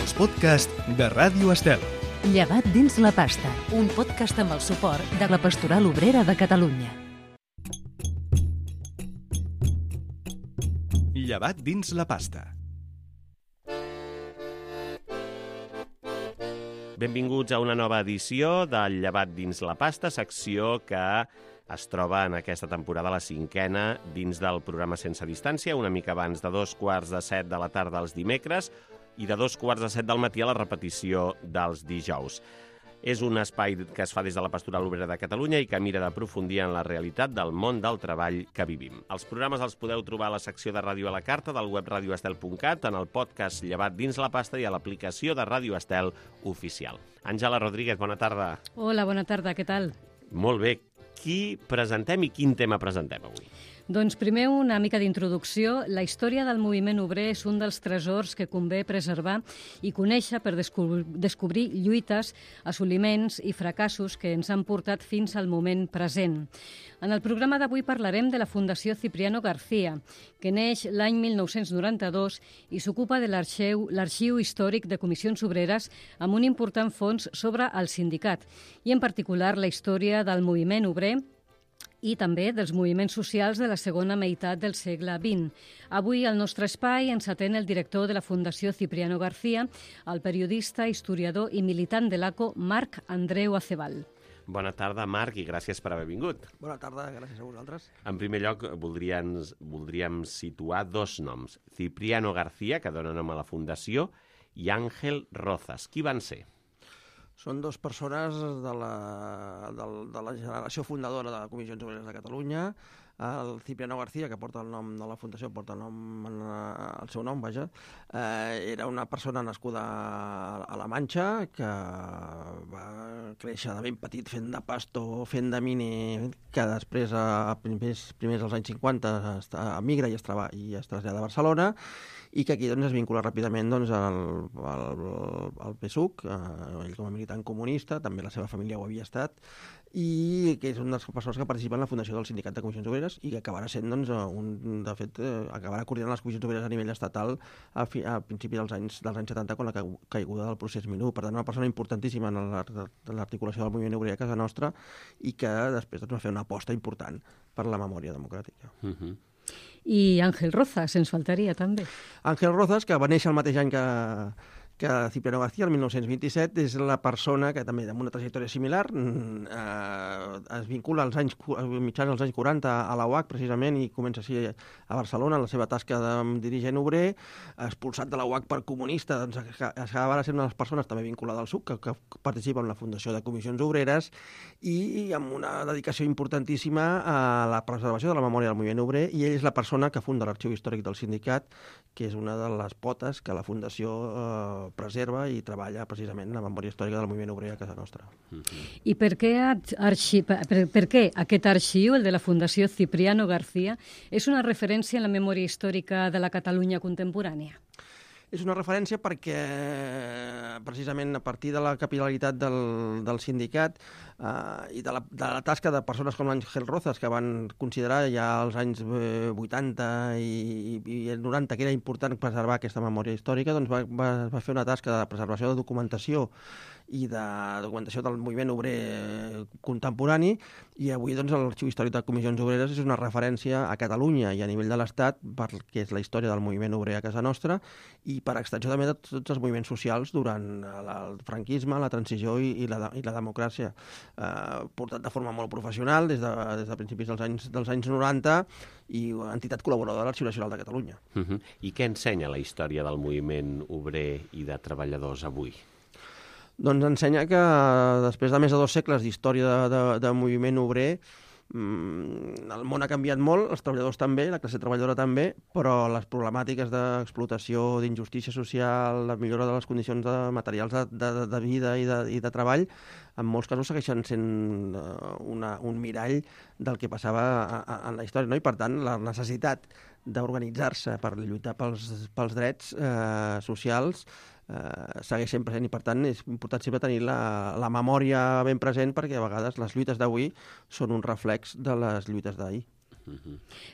els podcasts de Ràdio Estel. Llevat dins la pasta, un podcast amb el suport de la Pastoral Obrera de Catalunya. Llevat dins la pasta. Benvinguts a una nova edició del Llevat dins la pasta, secció que es troba en aquesta temporada la 5ª dins del programa Sense Distància, una mica abans de 7:15 de la tarda els dimecres i de 7:15 del matí a la repetició dels dijous. És un espai que es fa des de la Pastoral Obrera de Catalunya i que mira d'aprofundir en la realitat del món del treball que vivim. Els programes els podeu trobar a la secció de Ràdio a la Carta del web radioestel.cat, en el podcast Llevat dins la pasta i a l'aplicació de Ràdio Estel oficial. Àngela Rodríguez, bona tarda. Hola, bona tarda, què tal? Molt bé. Qui presentem i quin tema presentem avui? Doncs primer una mica d'introducció. La història del moviment obrer és un dels tresors que convé preservar i conèixer per descobrir lluites, assoliments i fracassos que ens han portat fins al moment present. En el programa d'avui parlarem de la Fundació Cipriano García, que neix l'any 1992 i s'ocupa de l'arxiu històric de comissions obreres amb un important fons sobre el sindicat i en particular la història del moviment obrer i també dels moviments socials de la segona meitat del segle XX. Avui al nostre espai ens atén el director de la Fundació Cipriano García, el periodista, historiador i militant de l'ACO, Marc Andreu Acebal. Bona tarda, Marc, i gràcies per haver vingut. Bona tarda, gràcies a vosaltres. En primer lloc, voldríem situar dos noms. Cipriano García, que dona nom a la Fundació, i Ángel Rozas. Qui van ser? Són dues persones de la generació fundadora de Comissions Obreres de Catalunya. El Cipriano García, que porta el nom de la Fundació, porta el seu nom, vaja, era una persona nascuda a la Manxa, que va créixer de ben petit fent de pastor, fent de mini, que després, primers dels anys 50, emigra i es trasllada a Barcelona, i que aquí es vincula ràpidament al PSUC, ell com a militant comunista, també la seva família ho havia estat, i que és una de les persones que participen en la fundació del Sindicat de Comissions Obreres i que acabarà sent, de fet, acabarà coordinant les comissions obreres a nivell estatal a principi dels anys 70, quan la caiguda del procés Minú. Per tant, una persona importantíssima en l'articulació del moviment obrer a casa nostra i que després va fer una aposta important per la memòria democràtica. I Ángel Rozas, ens faltaria també. Ángel Rozas, que va néixer el mateix any que Cipriano García, el 1927, és la persona que també, amb una trajectòria similar, es vincula als mitjans dels anys 40 a la UAC, precisament, i comença així a Barcelona, en la seva tasca de dirigent obrer, expulsat de la UAC per comunista, doncs acabarà sent una de les persones també vinculada al SUC, que participa en la Fundació de Comissions Obreres, i amb una dedicació importantíssima a la preservació de la memòria del moviment obrer, i ell és la persona que funda l'Arxiu Històric del Sindicat, que és una de les potes que la Fundació preserva i treballa precisament la memòria històrica del moviment obrer a casa nostra. I per què aquest arxiu, el de la Fundació Cipriano García, és una referència en la memòria històrica de la Catalunya contemporània? És una referència perquè, precisament, a partir de la capil·laritat del sindicat i de la tasca de persones com l'Ángel Rozas, que van considerar ja als anys 80 i 90 que era important preservar aquesta memòria històrica, doncs va fer una tasca de preservació de documentació i de documentació del moviment obrer contemporani, i avui l'Arxiu Històric de Comissions Obreres és una referència a Catalunya i a nivell de l'Estat perquè és la història del moviment obrer a casa nostra i per extensió també de tots els moviments socials durant el franquisme, la transició i la democràcia, portat de forma molt professional des de principis dels anys 90 i entitat col·laboradora de l'Arxiu Nacional de Catalunya. I què ensenya la història del moviment obrer i de treballadors avui? Doncs ensenya que després de més de 2 segles d'història de moviment obrer, el món ha canviat molt, els treballadors també, la classe treballadora també, però les problemàtiques d'explotació, d'injustícia social, la millora de les condicions materials de vida i de treball, en molts casos segueixen sent un mirall del que passava en la història, no? I per tant la necessitat d'organitzar-se per lluitar pels drets socials segueix sent present i per tant és important sempre tenir la memòria ben present perquè a vegades les lluites d'avui són un reflex de les lluites d'ahir.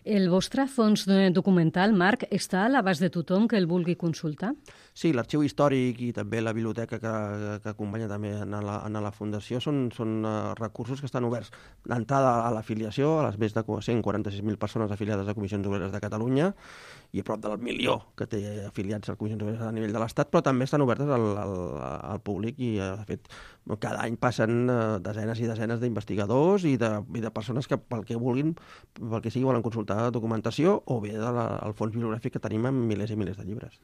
El vostre fons documental, Marc, està a l'abast de tothom que el vulgui consultar? Sí, l'arxiu històric i també la biblioteca que acompanya també en la Fundació són recursos que estan oberts d'entrada a l'afiliació, a les més de 146.000 persones afiliades a Comissions Obreres de Catalunya i a prop del 1 milió que té afiliats a Comissions Obreres a nivell de l'Estat, però també estan obertes al públic i, de fet, cada any passen desenes i desenes d'investigadors i de persones que pel que vulguin, pel que sigui, volen consultar documentació o bé del fons bibliogràfic que tenim amb milers i milers de llibres.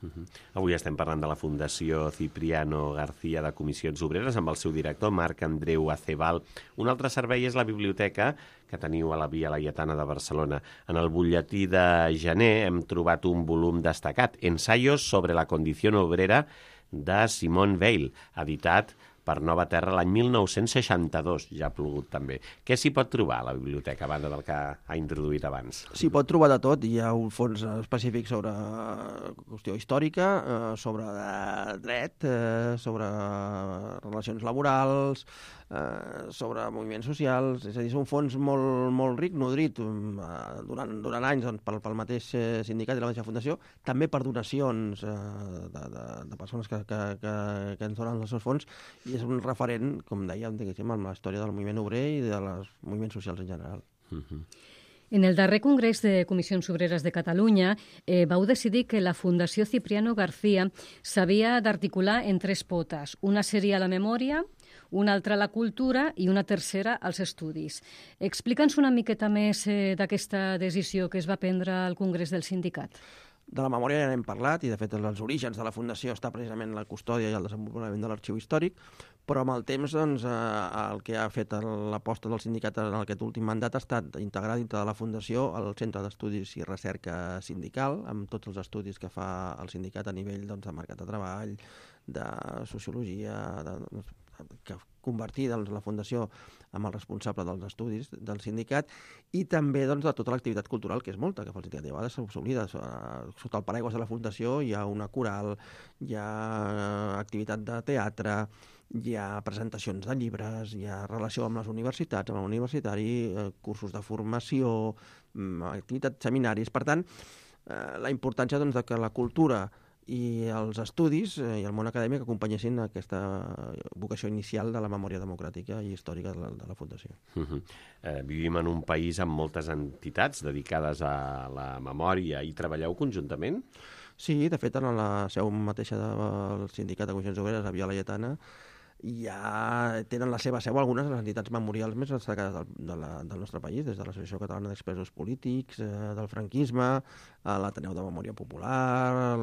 Avui estem parlant de la Fundació Cipriano García de Comissions Obreres amb el seu director, Marc Andreu Acebal. Un altre servei és la biblioteca que teniu a la Via Laietana de Barcelona. En el butlletí de gener hem trobat un volum destacat, Ensayos sobre la condición obrera, de Simone Weil, editat per Nova Terra l'any 1962, ja ha plogut també. Què s'hi pot trobar a la biblioteca, a banda del que ha introduït abans? S'hi pot trobar de tot. Hi ha un fons específic sobre qüestió històrica, sobre dret, sobre relacions laborals, sobre moviments socials. És a dir, és un fons molt ric, nodrit durant anys pel mateix sindicat i la mateixa fundació, també per donacions de persones que ens donen els seus fons, i és un referent, com dèiem, amb la història del moviment obrer i dels moviments socials en general. En el darrer Congrés de Comissions Obreres de Catalunya vau decidir que la Fundació Cipriano García s'havia d'articular en 3 potes. Una seria la memòria, una altra la cultura i una tercera els estudis. Explica'ns una miqueta més d'aquesta decisió que es va prendre al Congrés del sindicat. De la memòria ja n'hem parlat i, de fet, els orígens de la Fundació està precisament la custòdia i el desenvolupament de l'arxiu històric, però amb el temps el que ha fet l'aposta del sindicat en aquest últim mandat ha estat integrar dintre de la Fundació el Centre d'Estudis i Recerca Sindical, amb tots els estudis que fa el sindicat a nivell de mercat de treball, de sociologia, que convertir la Fundació amb el responsable dels estudis del sindicat, i també de tota l'activitat cultural, que és molta, que el sindicat de vegades s'oblida. Sota el paraigües de la Fundació hi ha una coral, hi ha activitat de teatre, hi ha presentacions de llibres, hi ha relació amb les universitats, amb el universitari, cursos de formació, activitats, seminaris. Per tant, la importància de que la cultura i els estudis i el món acadèmic acompanyessin aquesta vocació inicial de la memòria democràtica i històrica de la Fundació. Vivim en un país amb moltes entitats dedicades a la memòria i treballeu conjuntament? Sí, de fet, en la seu mateixa del Sindicat de Comissions Obreres a Via Laietana ja tenen la seva seu algunes de les entitats memorials més destacades del nostre país, des de l'Associació Catalana d'Expresos Polítics, del franquisme, l'Ateneu de Memòria Popular,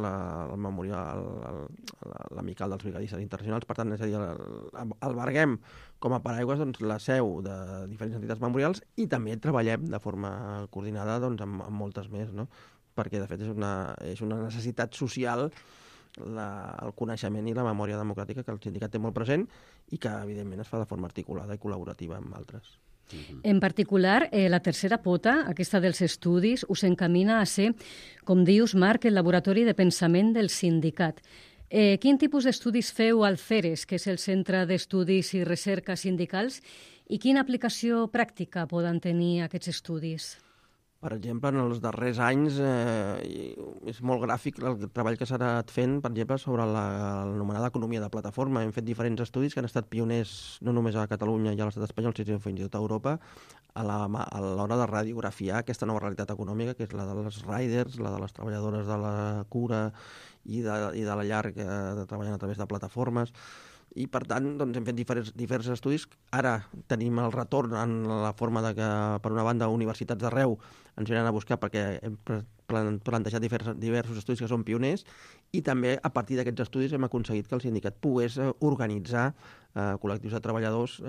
l'Amical dels Brigadistes Internacionals. Per tant, és a dir, alberguem com a paraigües la seu de diferents entitats memorials i també treballem de forma coordinada amb moltes més, no? Perquè, de fet, és una necessitat social el coneixement i la memòria democràtica que el sindicat té molt present i que, evidentment, es fa de forma articulada i col·laborativa amb altres. En particular, la tercera pota, aquesta dels estudis, us encamina a ser, com dius, Marc, el laboratori de pensament del sindicat. Quin tipus d'estudis feu al CERES, que és el Centre d'Estudis i Recerca Sindicals, i quina aplicació pràctica poden tenir aquests estudis? Per exemple, en els darrers anys és molt gràfic el treball que s'ha anat fent, per exemple, sobre l'anomenada economia de plataforma. Hem fet diferents estudis que han estat pioners no només a Catalunya i a l'estat espanyol, sinó fins i tot a Europa, a l'hora de radiografiar aquesta nova realitat econòmica, que és la dels riders, la de les treballadores de la cura i de la llar que treballen a través de plataformes. I, per tant, hem fet diferents estudis. Ara tenim el retorn en la forma de que, per una banda, universitats d'arreu ens venen a buscar perquè hem plantejat diversos estudis que són pioners, i també, a partir d'aquests estudis, hem aconseguit que el sindicat pogués organitzar col·lectius de treballadors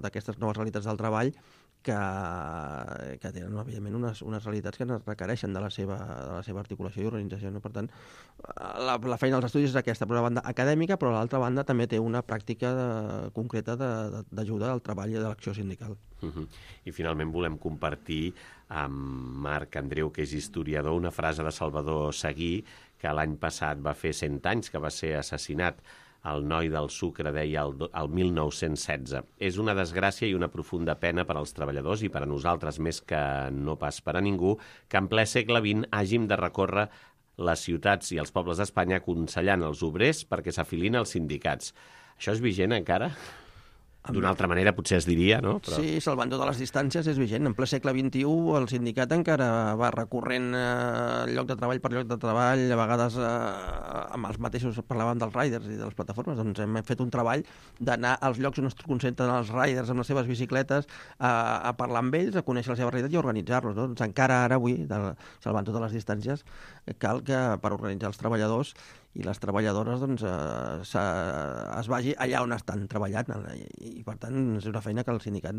d'aquestes noves realitats del treball que tenen, evidentment, unes realitats que requereixen de la seva articulació i organització. No? Per tant, la feina dels estudis és aquesta, per una banda acadèmica, però a l'altra banda també té una pràctica concreta d'ajuda al treball i de l'acció sindical. I finalment volem compartir amb Marc Andreu, que és historiador, una frase de Salvador Seguí, que l'any passat va fer 100 anys que va ser assassinat el noi del sucre deia el 1916. És una desgràcia i una profunda pena per als treballadors i per a nosaltres, més que no pas per a ningú, que en ple segle XX hàgim de recórrer les ciutats i els pobles d'Espanya aconsellant els obrers perquè s'afilin als sindicats. Això és vigent encara? D'una altra manera potser es diria, no? Però... Sí, salvant totes les distàncies és vigent. En ple segle XXI el sindicat encara va recorrent lloc de treball per lloc de treball, a vegades amb els mateixos, parlàvem dels riders i de les plataformes, doncs hem fet un treball d'anar als llocs on es concentren els riders amb les seves bicicletes a parlar amb ells, a conèixer la seva realitat i a organitzar-los. Doncs encara ara avui, salvant totes les distàncies, cal que per organitzar els treballadors i les treballadores doncs, es vagi allà on estan treballant i per tant és una feina que el sindicat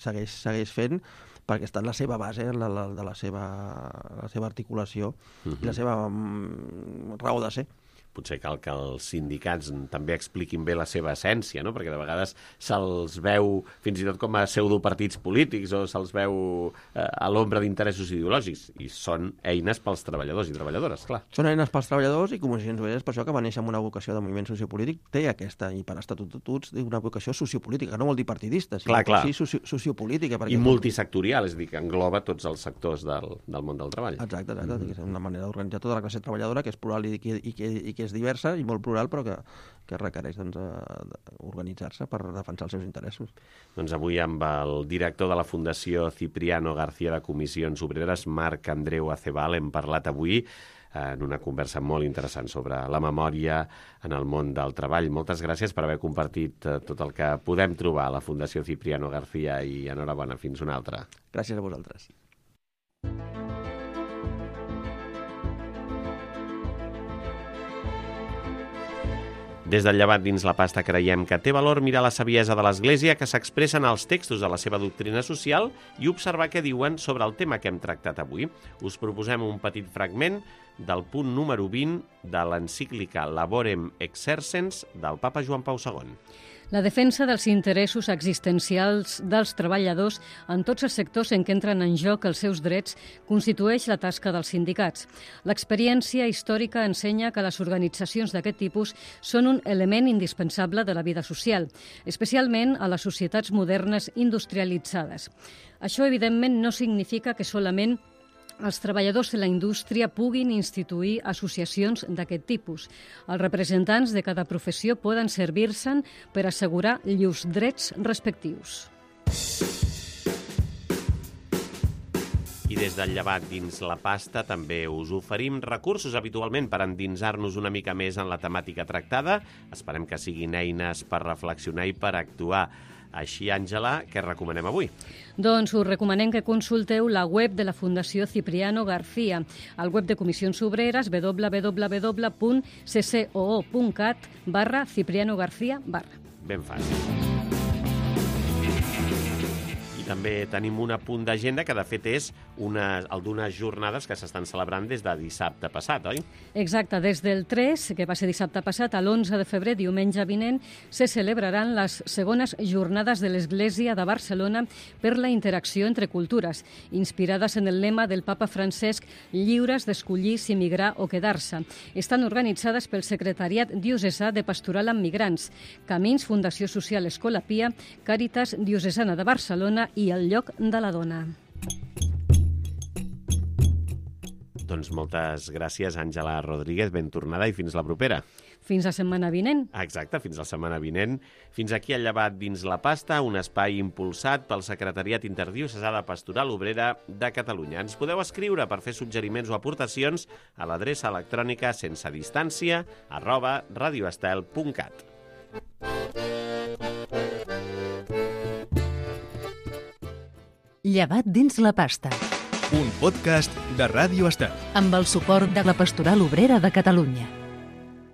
segueix fent perquè està en la seva base de la seva articulació i la seva raó de ser. Potser cal que els sindicats també expliquin bé la seva essència, no? Perquè de vegades se'ls veu fins i tot com a pseudopartits polítics o se'ls veu a l'ombra d'interessos ideològics i són eines pels treballadors i treballadores, clar. Són eines pels treballadors i Comissions Obreres, per això que va néixer amb una vocació de moviment sociopolític, té aquesta, i per estatuts, una vocació sociopolítica, no vol dir partidista, sinó sí sociopolítica. I multisectorial, és a dir, que engloba tots els sectors del món del treball. Exacte. És una manera d'organitzar tota la classe treballadora que és plural i que és diversa i molt plural, però que requereix organitzar-se per defensar els seus interessos. Doncs avui amb el director de la Fundació Cipriano García de Comissions Obreres, Marc Andreu Acebal, hem parlat avui en una conversa molt interessant sobre la memòria en el món del treball. Moltes gràcies per haver compartit tot el que podem trobar a la Fundació Cipriano García i enhorabona, fins una altra. Gràcies a vosaltres. Des del Llevat dins la pasta creiem que té valor mirar la saviesa de l'Església que s'expressa en els textos de la seva doctrina social i observar què diuen sobre el tema que hem tractat avui. Us proposem un petit fragment del punt número 20 de l'encíclica Laborem Exercens del papa Joan Pau II. La defensa dels interessos existencials dels treballadors en tots els sectors en què entren en joc els seus drets constitueix la tasca dels sindicats. L'experiència històrica ensenya que les organitzacions d'aquest tipus són un element indispensable de la vida social, especialment a les societats modernes industrialitzades. Això, evidentment, no significa que solament els treballadors de la indústria puguin instituir associacions d'aquest tipus. Els representants de cada professió poden servir-se'n per assegurar llurs drets respectius. I des del Llevat dins la pasta també us oferim recursos habitualment per endinsar-nos una mica més en la temàtica tractada. Esperem que siguin eines per reflexionar i per actuar. Així, Àngela, què recomanem avui? Doncs us recomanem que consulteu la web de la Fundació Cipriano García, al web de Comissions Obreres www.ccoo.cat/Cipriano García/. Ben fàcil. I també tenim un apunt d'agenda que, de fet, és el d'unes jornades que s'estan celebrant des de dissabte passat, oi? Exacte. Des del 3, que va ser dissabte passat, a l'11 de febrer, diumenge vinent, se celebraran les segones jornades de l'Església de Barcelona per la interacció entre cultures, inspirades en el lema del papa Francesc, lliures d'escollir si migrar o quedar-se. Estan organitzades pel Secretariat Diocesà de Pastoral amb Migrants, Camins, Fundació Social Escola Pia, Càritas Diocesana de Barcelona i el Lloc de la Dona. Doncs moltes gràcies, Àngela Rodríguez, ben tornada i fins la propera. Fins la setmana vinent. Exacte, fins la setmana vinent. Fins aquí el Llevat dins la pasta, un espai impulsat pel Secretariat Interdiocesà de Pastoral Obrera de Catalunya. Ens podeu escriure per fer suggeriments o aportacions a l'adreça electrònica sensedistància@radioestel.cat. Llevat dins la pasta. Un podcast de Ràdio Estel. Amb el suport de la Pastoral Obrera de Catalunya.